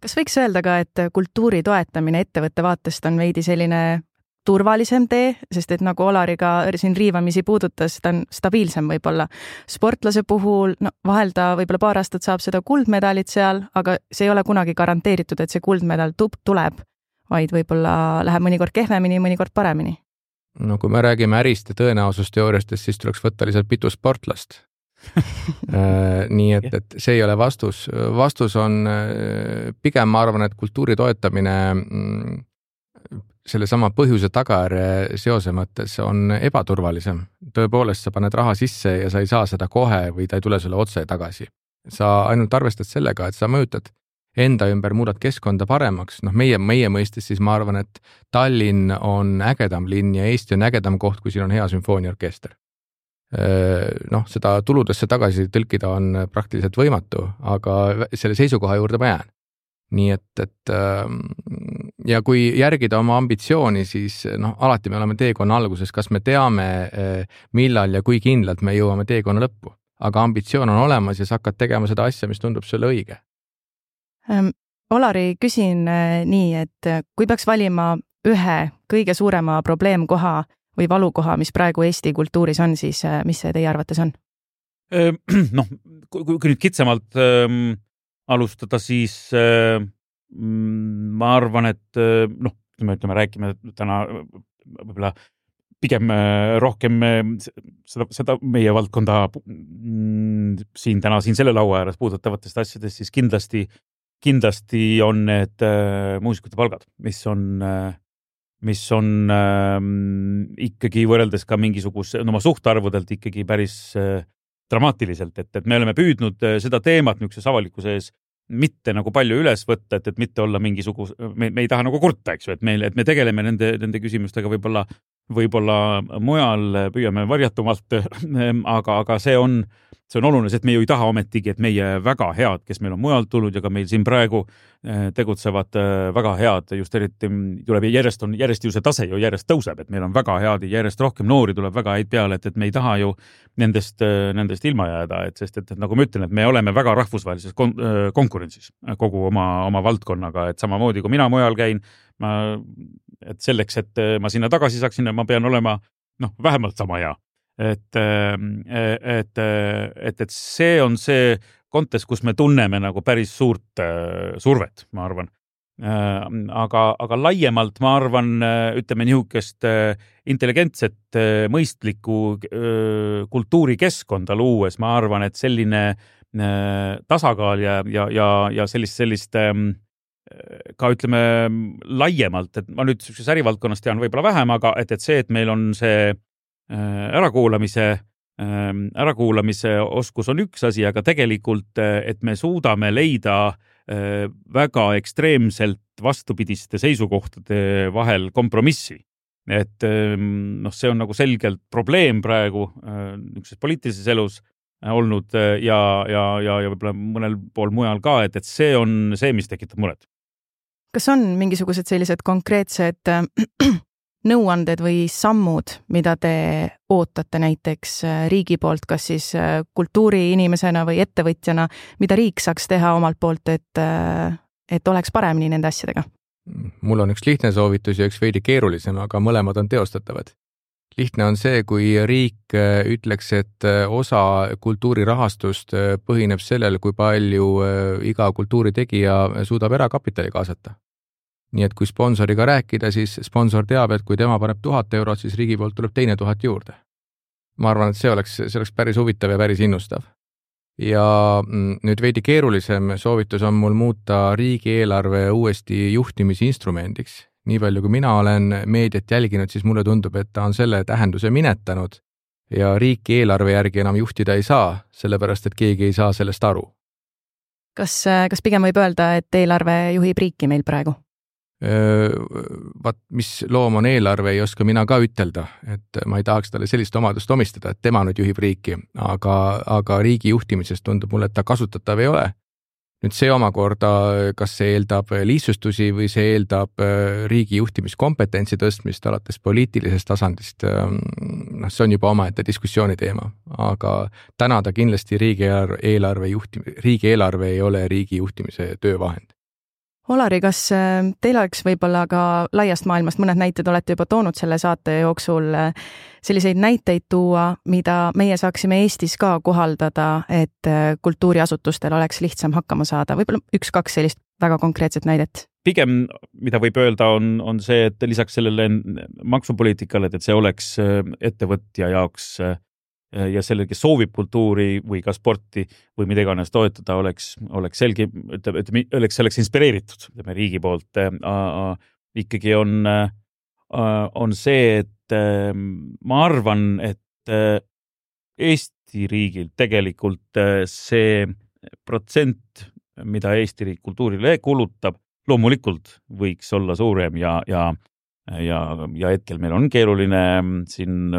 Kas võiks öelda ka, et kultuuri toetamine ettevõtte vaatest on veidi selline turvalisem tee, sest et nagu Olari ka siin riivamisi puudutas, ta on stabiilsem võib-olla. Sportlase puhul, vahel ta võib-olla paar aastat saab seda kuldmedalit seal, aga see ei ole kunagi garanteeritud, et see kuldmedal tuleb, vaid võib-olla läheb mõnikord kehvemini, mõnikord paremini. No kui me räägime ärist ja tõenäosusteooriastest, siis tuleks võtta lihtsalt pitu sportlast. Nii et see ei ole vastus. Vastus on pigem, ma arvan, et kultuuri toetamine selle sama põhjuse tagajärje seose mõttes on ebaturvalisem. Tõepoolest, sa paned raha sisse ja sa ei saa seda kohe või ta ei tule sulle otse tagasi. Sa ainult arvestad sellega, et sa mõjutad enda ümber, muudad keskkonda paremaks. Meie mõistes siis ma arvan, et Tallinn on ägedam linn ja Eesti on ägedam koht, kui siin on hea sümfooniaorkester. Seda tuludesse tagasi tõlkida on praktiliselt võimatu, aga selle seisukoha juurde ma jään. Nii et ja kui järgida oma ambitsiooni, siis alati me oleme teekonna alguses, kas me teame, millal ja kui kindlalt me jõuame teekonna lõppu. Aga ambitsioon on olemas ja sa hakkad tegema seda asja, mis tundub sulle õige. Olari, küsin nii, et kui peaks valima ühe kõige suurema probleemkoha või valukoha, mis praegu Eesti kultuuris on, siis mis see teie arvates on? Kui nüüd kitsamalt alustada, siis ma arvan, et ütleme, räägime täna võib-olla pigem rohkem seda meie valdkonda siin selle laua ääres puudutavatest asjadest, siis kindlasti on need muusikute palgad, mis on ikkagi võrreldes ka mingisuguse oma suhtarvudelt ikkagi päris dramaatiliselt, et me oleme püüdnud seda teemat niisuguses avalikkuse ees mitte nagu palju üles võtta, et mitte olla me ei taha nagu kurta, eks ju, et me tegeleme nende küsimustega võib-olla mujal, püüame varjatumalt, aga see on oluline, et me ju ei taha ometigi, et meie väga head, kes meil on mujalt tulnud ja ka meil siin praegu tegutsevad väga head, just eriti tuleb järjest ju see tase ju järjest tõuseb, et meil on väga head ja järjest rohkem noori tuleb väga häid peale, et me ei taha ju nendest ilma jääda, sest nagu ma ütlen, et me oleme väga rahvusvahelises konkurentsis kogu oma valdkonnaga, et samamoodi kui mina mujal käin, et selleks, et ma sinna tagasi saaksin, ma pean olema vähemalt sama hea. Et see on see kontekst, kus me tunneme nagu päris suurt survet, ma arvan. Aga laiemalt ma arvan, ütleme niisugust intelligentset, mõistlikku kultuurikeskkonda luues, ma arvan, et selline tasakaal ja sellist ka ütleme laiemalt, et ma nüüd ärivaldkonnas tean võib-olla vähem, aga et see, et meil on see ärakuulamise oskus on üks asi, aga tegelikult, et me suudame leida väga ekstreemselt vastupidiste seisukohtade vahel kompromissi. Et see on nagu selgelt probleem praegu niisuguses poliitilises elus olnud ja võib-olla mõnel pool mujal ka, et see on see, mis tekitab muret. Kas on mingisugused sellised konkreetsed nõuanded või sammud, mida te ootate näiteks riigi poolt, kas siis kultuuriinimesena või ettevõtjana, mida riik saaks teha omalt poolt, et et oleks paremini nende asjadega? Mul on üks lihtne soovitus ja üks veidi keerulisem, aga mõlemad on teostatavad. Lihtne on see, kui riik ütleks, et osa kultuurirahastust põhineb sellel, kui palju iga kultuuritegija suudab erakapitali kaasata. Nii et kui sponsoriga rääkida, siis sponsor teab, et kui tema paneb 1000 eurot, siis riigi poolt tuleb teine 1000 juurde. Ma arvan, et see oleks päris huvitav ja päris innustav. Ja nüüd veidi keerulisem soovitus on mul muuta riigieelarve uuesti juhtimisinstrumendiks. Nii palju, kui mina olen meediat jälginud, siis mulle tundub, et ta on selle tähenduse minetanud ja riiki eelarve järgi enam juhtida ei saa, sellepärast, et keegi ei saa sellest aru. Kas pigem võib öelda, et eelarve juhib riiki meil praegu? Mis loom on eelarve, ei oska mina ka ütelda, et ma ei tahaks talle sellist omadust omistada, et tema nüüd juhib riiki, aga riigi juhtimisest tundub mulle, et ta kasutatav ei ole. Nüüd see omakorda, kas see eeldab lihtsustusi või see eeldab riigi juhtimiskompetentsi tõstmist alates poliitilisest tasandist, see on juba omaette diskussiooni teema, aga täna ta kindlasti riigieelarve ei ole riigi juhtimise töövahend. Olari, kas teil oleks võib-olla ka laiast maailmast mõned näited, olete juba toonud selle saate jooksul selliseid näiteid tuua, mida meie saaksime Eestis ka kohaldada, et kultuuriasutustel oleks lihtsam hakkama saada? Võib-olla 1-2 sellist väga konkreetset näidet? Pigem, mida võib öelda, on see, et lisaks sellele maksupoliitikale, et see oleks ettevõtja jaoks ja sellel, kes soovib kultuuri või ka sporti või mida iganes toetada, oleks selge, oleks inspireeritud riigi poolt. Ikkagi on see, et ma arvan, et Eesti riigil tegelikult see protsent, mida Eesti riik kultuurile kulutab, loomulikult võiks olla suurem ja hetkel meil on keeruline siin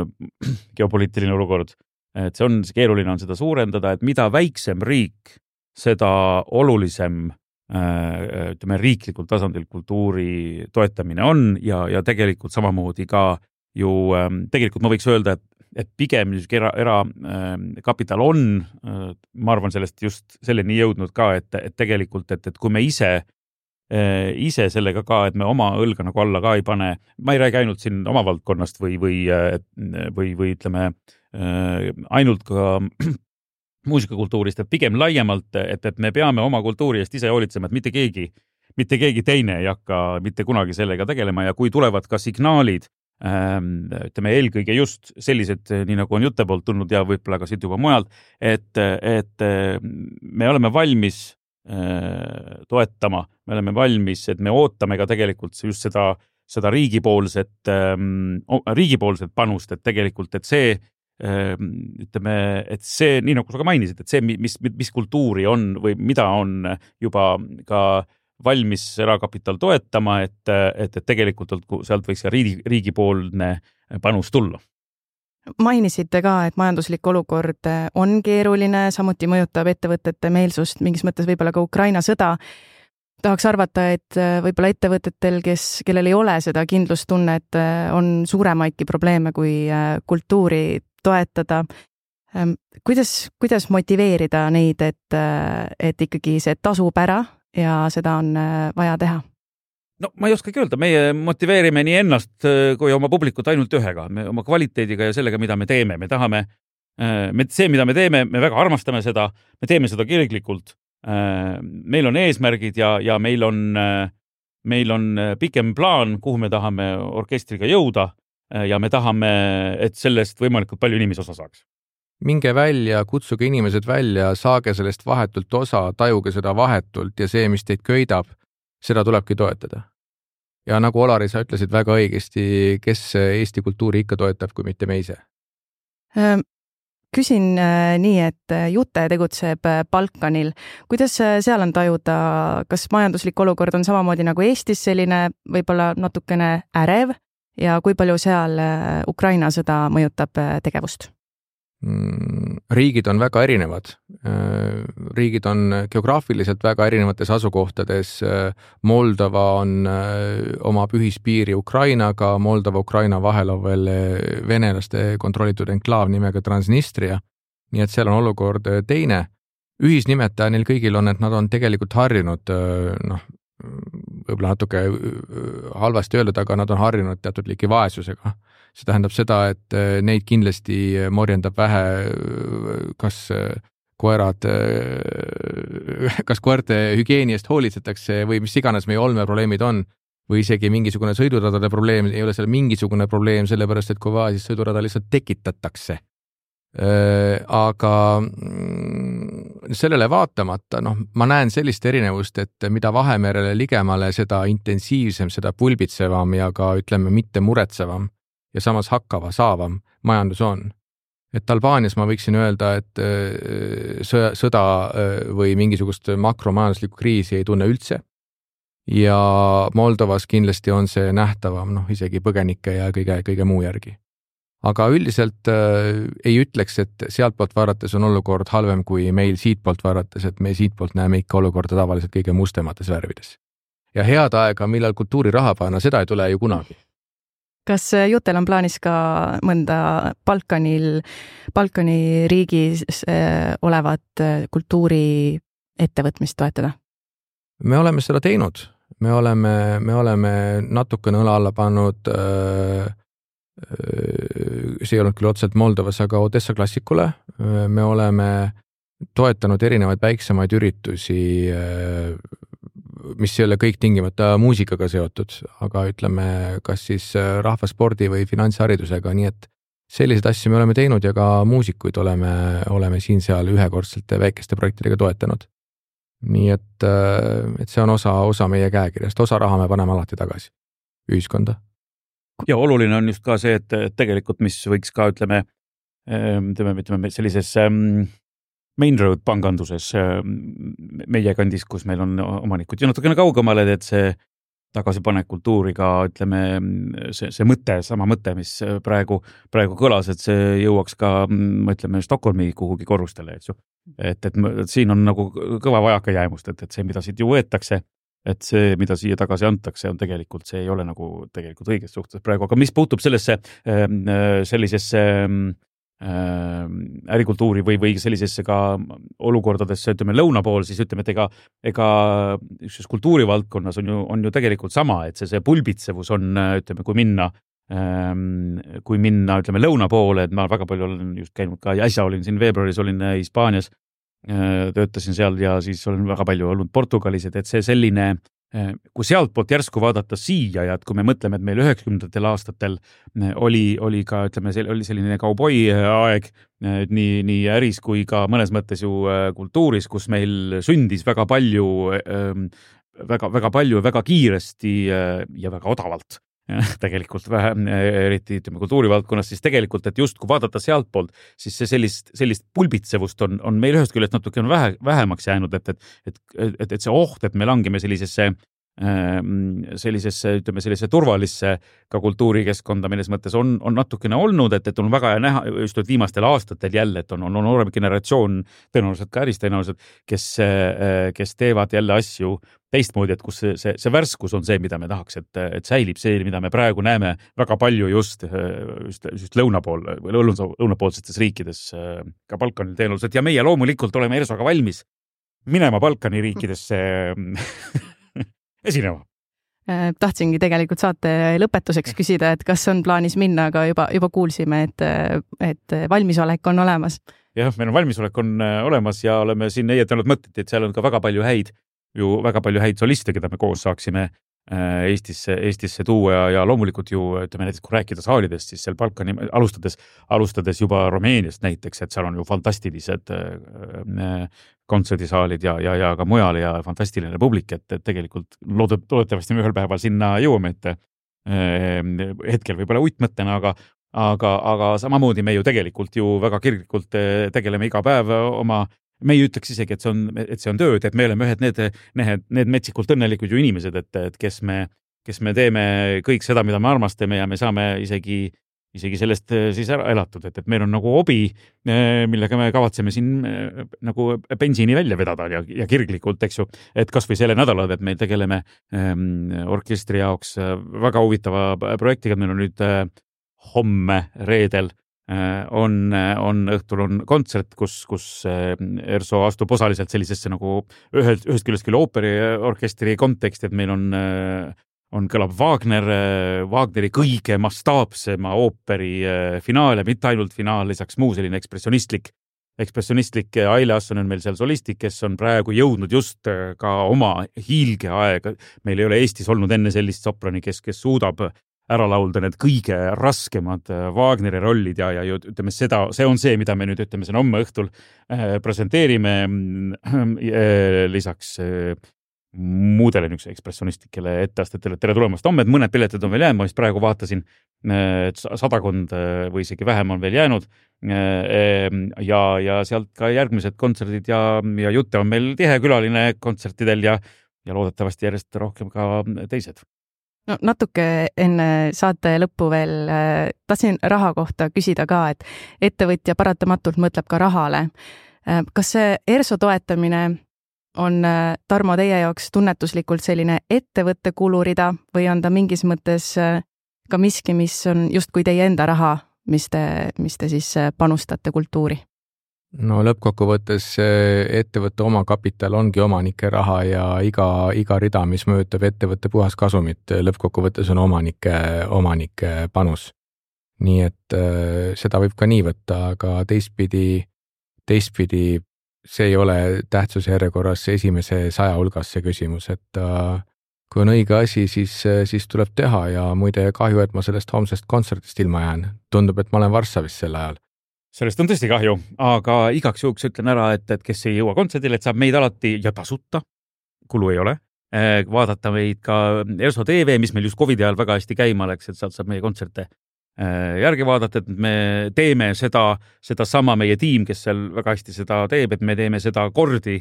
geopoliitiline olukord, et see keeruline on seda suurendada, et mida väiksem riik, seda olulisem riiklikul tasandil kultuuri toetamine on ja tegelikult samamoodi ka ju, tegelikult ma võiks öelda, et pigem erakapital on, ma arvan sellest just selleni jõudnud ka, et tegelikult, et kui me ise sellega ka, et me oma õlga nagu alla ka ei pane, ma ei räägi ainult siin oma valdkonnast või ütleme ainult ka muusikakultuurist, et pigem laiemalt, et me peame oma kultuuri eest ise hoolitsema, et mitte keegi teine ei hakka mitte kunagi sellega tegelema ja kui tulevad ka signaalid, ütleme eelkõige just sellised, nii nagu on jutte poolt tulnud ja võib-olla ka siit juba mujalt, et me oleme valmis toetama, me oleme valmis, et me ootame ka tegelikult just seda riigipoolset panust, et tegelikult, et see ütleme, et see, nii nagu sa ka mainisid, et see, mis kultuuri on või mida on juba ka valmis erakapital toetama, et tegelikult sealt võiks ka riigipoolne panus tulla. Mainisite ka, et majanduslik olukord on keeruline, samuti mõjutab ettevõtete meelsust, mingis mõttes võib-olla ka Ukraina sõda. Tahaks arvata, et võib-olla ettevõtetel, kellel ei ole seda kindlustunnet, on suuremaidki probleeme kui kultuuri toetada. Kuidas motiveerida neid, et ikkagi see tasub ära ja seda on vaja teha? No ma ei oskagi öelda, meie motiveerime nii ennast kui oma publikut ainult ühega, oma kvaliteediga ja sellega, mida me teeme. Me tahame, see, mida me teeme, me väga armastame seda, me teeme seda kirglikult. Meil on eesmärgid ja meil on pikem plaan, kuhu me tahame orkestriga jõuda ja me tahame, et sellest võimalikult palju inimesi osa saaks. Minge välja, kutsuge inimesed välja, saage sellest vahetult osa, tajuge seda vahetult ja see, mis teid köidab, seda tulebki toetada. Ja nagu Olari, sa ütlesid väga õigesti, kes Eesti kultuuri ikka toetab, kui mitte me ise? Küsin nii, et Jute tegutseb Balkanil. Kuidas seal on tajuda, kas majanduslik olukord on samamoodi nagu Eestis selline võib-olla natukene ärev ja kui palju seal Ukraina sõda mõjutab tegevust? Riigid on väga erinevad. Riigid on geograafiliselt väga erinevates asukohtades. Moldova omab ühispiiri Ukrainaga, Moldova-Ukraina vahel on veel venelaste kontrollitud enklaav nimega Transnistria, nii et seal on olukord teine. Ühisnimetaja neil kõigil on, et nad on tegelikult harjunud võib-olla natuke halvasti öeldud, aga nad on harjunud teatud liiki vaesusega. See tähendab seda, et neid kindlasti morjendab vähe, kas koerte hügieeniast hoolitsetakse või mis iganes meie olmeprobleemid on, või isegi mingisugune sõiduradade probleem, ei ole seal mingisugune probleem, sellepärast et kui vaja, siis sõidurada lihtsalt tekitatakse. Aga sellele vaatamata, ma näen sellist erinevust, et mida Vahemerele ligemale, seda intensiivsem, seda pulbitsevam ja ka ütleme mitte muretsevam ja samas hakkava, saavam majandus on. Et Albaanias ma võiksin öelda, et sõda või mingisugust makromajanduslikku kriisi ei tunne üldse. Ja Moldovas kindlasti on see nähtavam, isegi põgenike ja kõige muu järgi. Aga üldiselt ei ütleks, et sealtpoolt vaadates on olukord halvem kui meil siitpoolt vaadates, et me siitpoolt näeme ikka olukorda tavaliselt kõige mustemates värvides. Ja head aega, millal kultuuri raha panna, seda ei tule ju kunagi. Kas Jutel on plaanis ka mõnda Balkani riigis olevat kultuuri ettevõtmist toetada? Me oleme seda teinud. Me oleme natukene õla alla pannud, see ei olnud küll otseselt Moldovas, aga Odessa klassikule. Me oleme toetanud erinevaid väiksemaid üritusi, mis ei ole kõik tingimata muusikaga seotud, aga ütleme, kas siis rahvaspordi või finantsharidusega, nii et selliseid asju me oleme teinud ja ka muusikuid oleme siin-seal ühekordselt väikeste projektidega toetanud. Nii et see on osa meie käekirjast, osa raha me paneme alati tagasi ühiskonda. Ja oluline on just ka see, et tegelikult mis võiks ka, ütleme sellises Main Road panganduses meie kandis, kus meil on omanikud ja natukene kaugemale, et see tagasipanek kultuuriga, ütleme, see mõte, sama mõte, mis praegu kõlas, et see jõuaks ka, ütleme, Stockholmi kuhugi korrustele, et siin on nagu kõva vajaka jäämust, et see, mida siit ju võetakse, et see, mida siia tagasi antakse, on tegelikult, see ei ole nagu tegelikult õiges suhtes praegu, aga mis puutub sellisesse ärikultuuri või sellisesse ka olukordadesse, ütleme lõuna pool, siis ütleme, et ega kultuurivaldkonnas on ju tegelikult sama, et see pulbitsevus on, ütleme, kui minna, ütleme, lõuna poole, et ma väga palju olen just käinud ka, ja äsja olin siin veebruaris, olin Hispaanias, töötasin seal ja siis olen väga palju olnud Portugalis, et see selline, kui sealtpoolt järsku vaadata siia ja et kui me mõtleme, et meil 90ndatel aastatel oli ka, ütleme, oli selline kauboi aeg nii äris kui ka mõnes mõttes ju kultuuris, kus meil sündis väga palju, väga kiiresti ja väga odavalt. Tegelikult vähe, eriti ütleme kultuurivaldkonnas, siis tegelikult, et just kui vaadata sealtpoolt, siis see sellist pulbitsevust on meil ühest küljest natuke vähemaks jäänud, et see oht, et me langeme sellisesse, ütleme, sellise turvalisse ka kultuurikeskkonda, milles mõttes on natukene olnud, et on väga näha just viimastel aastatel jälle, et on noorem generatsioon, tõenäoliselt ka äris tõenäoliselt, kes teevad jälle asju teistmoodi, et kus see värskus on see, mida me tahaks, et säilib see, mida me praegu näeme väga palju just lõunapool või lõunapoolsetes riikides ka Balkanil tõenäoliselt ja meie loomulikult oleme Ersoga valmis minema Balkani riikidesse esinema. Tahtsingi tegelikult saate lõpetuseks küsida, et kas on plaanis minna, aga juba kuulsime, et valmisolek on olemas. Jah, meil on valmisolek on olemas ja oleme siin eietanud mõtted, et seal on ka väga palju häid soliste, keda me koos saaksime Eestisse tuua ja loomulikult ju, ütleme näiteks, kui rääkida saalidest, siis seal Balkani alustades juba Rumeeniast näiteks, et seal on ju fantastilised kontserdisaalid ja ka mujal ja fantastiline publik, et tegelikult loodetavasti me ühel päeval sinna jõuame, et hetkel võib-olla uitmõttena, aga samamoodi me ju tegelikult ju väga kirglikult tegeleme iga päev me ei ütleks isegi, et see on tööd, et me oleme ühed need metsikult õnnelikud ju inimesed, et kes me teeme kõik seda, mida me armastame ja me saame isegi sellest siis ära elatud, et meil on nagu hobi, millega me kavatseme siin nagu bensiini välja vedada ja kirglikult, eks ju, et kas või selle nädalad, et me tegeleme orkestri jaoks väga huvitava projektiga, meil on nüüd homme reedel on õhtul on kontsert, kus ERSO astub osaliselt sellisesse nagu ühest küljest küll ooperiorkestri konteksti, et meil on kõlab Wagneri kõige mastaapsema ooperi finaal ja mitte ainult finaal, lisaks muu selline ekspressionistlik Aile Asson on meil seal solistik, kes on praegu jõudnud just ka oma hiilgeaega. Meil ei ole Eestis olnud enne sellist soprani, kes suudab ära laulda need kõige raskemad Wagneri rollid ja ütleme see on see, mida me nüüd ütleme siin homme õhtul presenteerime lisaks muudele niisuguse ekspressionistlikele etteastetele. Tere tulemast homme, et mõned piletid on veel jäänud, ma just praegu vaatasin, et 100 või isegi vähem on veel jäänud ja sealt ka järgmised kontserdid ja Jutte on meil tihe külaline kontsertidel ja loodetavasti järjest rohkem ka teised. No natuke enne saate lõppu veel tahtsin raha kohta küsida ka, et ettevõtja paratamatult mõtleb ka rahale. Kas see ERSO toetamine on, Tarmo, teie jaoks tunnetuslikult selline ettevõtte kulurida või on ta mingis mõttes ka miski, mis on justkui teie enda raha, mis te siis panustate kultuuri? No lõppkokkuvõttes ettevõtte omakapital ongi omanike raha ja iga rida, mis mõjutab ettevõtte puhas kasumit, lõppkokkuvõttes on omanike panus. Nii et seda võib ka nii võtta, aga teistpidi see ei ole tähtsuse järjekorras esimese 100 hulgas see küsimus, et kui on õige asi, siis tuleb teha ja muide kahju, et ma sellest homsest kontserdist ilma jään. Tundub, et ma olen Varssavis sel ajal. Sellest on tõesti kahju, aga igaks juhuks ütlen ära, et kes ei jõua kontserdile, et saab meid alati ja tasuta, kulu ei ole, vaadata meid ka ERSO TV, mis meil just COVID ajal väga hästi käima läks, et sealt saab meie kontserte järgi vaadata, et me teeme seda sama meie tiim, kes seal väga hästi seda teeb, et me teeme seda kordi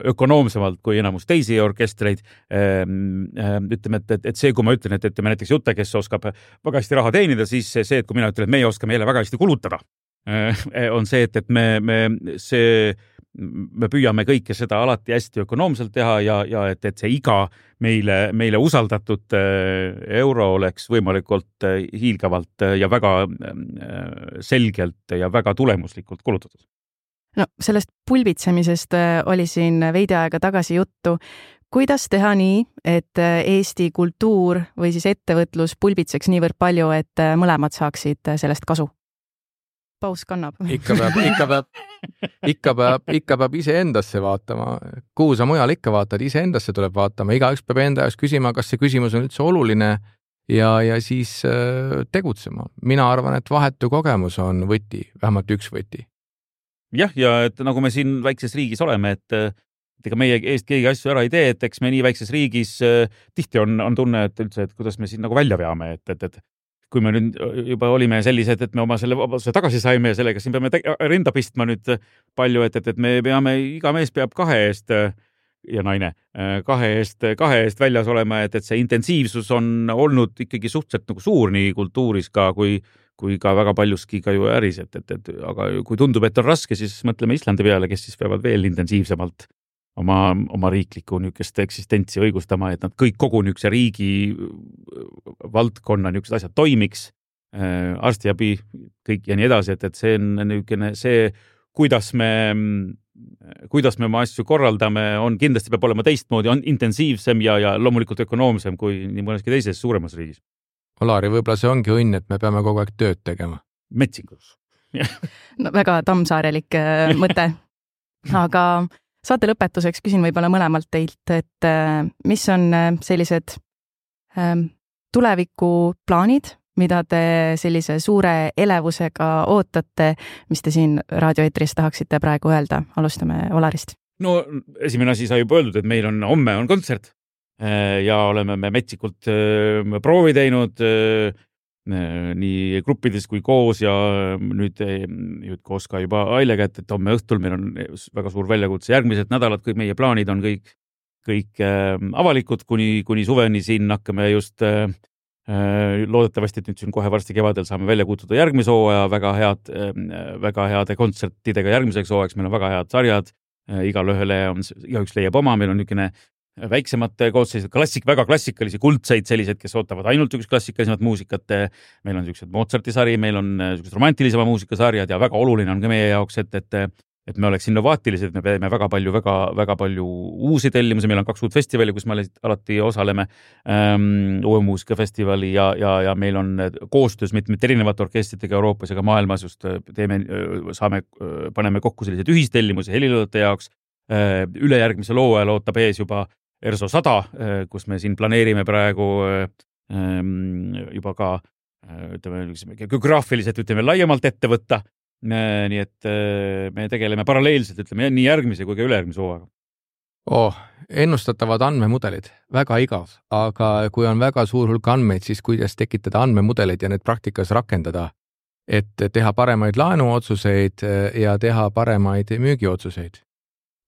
ökonoomsemalt kui enamus teisi orkestreid. Ütleme, et see, kui ma ütlen, et ütleme näiteks Jutte, kes oskab väga hästi raha teenida, siis see, et kui mina ütlen, et meie oskame jälle väga hästi kulutada, on see, et me püüame kõike seda alati hästi ökonoomselt teha ja et see iga meile usaldatud euro oleks võimalikult hiilgavalt ja väga selgelt ja väga tulemuslikult kulutatud. No, sellest pulbitsemisest oli siin veidi aega tagasi juttu. Kuidas teha nii, et Eesti kultuur või siis ettevõtlus pulbitseks niivõrd palju, et mõlemad saaksid sellest kasu? Paus kannab. Ikka peab iseendasse vaatama. Kuhu sa mujal ikka vaatad? Iseendasse tuleb vaatama. Igaüks peab enda jaoks küsima, kas see küsimus on üldse oluline ja siis tegutsema. Mina arvan, et vahetu kogemus on võti, vähemalt üks võti. Jah, ja et nagu me siin väikses riigis oleme, et ega meie eest keegi asju ära ei tee, et eks me nii väikses riigis tihti on tunne, et üldse, et kuidas me siin nagu välja veame, et kui me nüüd juba olime sellised, et me oma selle vabaduse tagasi saime ja sellega siin peame rinda pistma nüüd palju, et me peame, iga mees peab 2 eest ja naine 2 eest väljas olema, et see intensiivsus on olnud ikkagi suhteliselt nagu suur nii kultuuris ka kui ka väga paljuski ka ju äris, aga kui tundub, et on raske, siis mõtleme Islandi peale, kes siis peavad veel intensiivsemalt oma riiklikku niisugust eksistentsi õigustama, et nad kõik kogu niisuguse riigi valdkonna niisugused asjad toimiks, arstiabi, kõik ja nii edasi, et see on niisugune see, kuidas me oma asju korraldame, on kindlasti peab olema teistmoodi, on intensiivsem ja loomulikult ökonoomsem kui nii mõneski teises suuremas riigis. Olari, võib-olla see ongi õnn, et me peame kogu aeg tööd tegema. Metsikus. No, väga tammsaarelik mõte. Aga saate lõpetuseks küsin võib-olla mõlemalt teilt, et mis on sellised tulevikuplaanid, mida te sellise suure elevusega ootate, mis te siin raadioeetris tahaksite praegu öelda? Alustame Olarist. No, esimene asi sai juba öeldud, et meil homme on kontsert. Ja oleme me metsikult proovi teinud nii gruppides kui koos ja nüüd koos ka juba Ailega, et homme õhtul meil on väga suur väljakutse. Järgmised nädalad, kui meie plaanid on kõik avalikud, kuni suveni siin hakkame just loodetavasti, et nüüd siin kohe varsti kevadel saame välja kutsuda järgmise hooaja väga heade kontsertidega järgmiseks hooajaks. Meil on väga head sarjad, igaüks leiab oma, meil on niisugune väiksemad koosseisud, väga klassikalisi kuldseid sellised, kes ootavad ainult üks klassikalisemat muusikat. Meil on sellised Mozarti sari, meil on sellised romantilisema muusikasarjad ja väga oluline on ka meie jaoks, et me oleks innovaatilised, me peame väga palju uusi tellimusi, meil on 2 uut festivali, kus me alati osaleme, uue muusikafestivali ja meil on koostöös mitmete erinevate orkestritega Euroopas ja ka maailmas just paneme kokku sellised ühistellimusi heliloojate jaoks. Ülejärgmise loo ajal ootab ees juba ERSO 100, kus me siin planeerime praegu juba ka geograafiliselt laiemalt ette võtta. Nii et me tegeleme paralleelselt, nii järgmise kui ka ülejärgmise hooaega. Ennustatavad andmemudelid, väga igav, aga kui on väga suur hulk andmeid, siis kuidas tekitada andmemudelid ja need praktikas rakendada, et teha paremaid laenuotsuseid ja teha paremaid müügiotsuseid.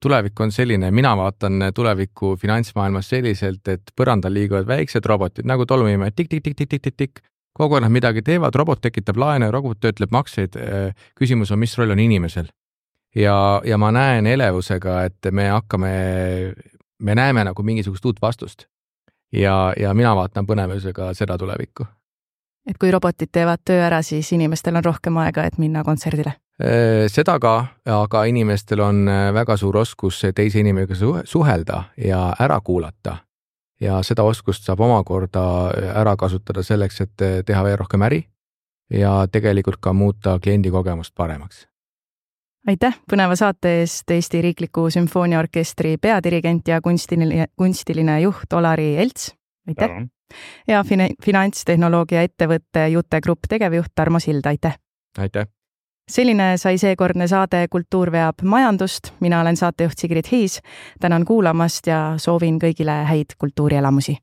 Tulevik on selline, mina vaatan tulevikku finantsmaailmas selliselt, et põrandal liiguvad väiksed robotid, nagu tolmuimed, tik-tik-tik-tik-tik-tik-tik. Kogu aeg nad midagi teevad, robot tekitab laene, robot töötleb makseid. Küsimus on, mis roll on inimesel. Ja ma näen elevusega, et me näeme nagu mingisugust uut vastust. Ja mina vaatan põnevusega seda tulevikku. Et kui robotid teevad töö ära, siis inimestel on rohkem aega, et minna kontserdile. Seda ka, aga inimestel on väga suur oskus teise inimesega suhelda ja ära kuulata. Ja seda oskust saab omakorda ära kasutada selleks, et teha veel rohkem äri ja tegelikult ka muuta kliendi kogemust paremaks. Aitäh põneva saate eest Eesti Riikliku Sümfooniaorkestri peadirigent ja kunstiline juht Olari Elts. Aitäh. Ja finantstehnoloogia ettevõtte Jute Grupp tegevjuht Tarmo Sild. Aitäh. Aitäh. Selline sai seekordne saade Kultuur veab majandust. Mina olen saatejuht Sigrid Hiis. Tänan kuulamast ja soovin kõigile häid kultuurielamusi.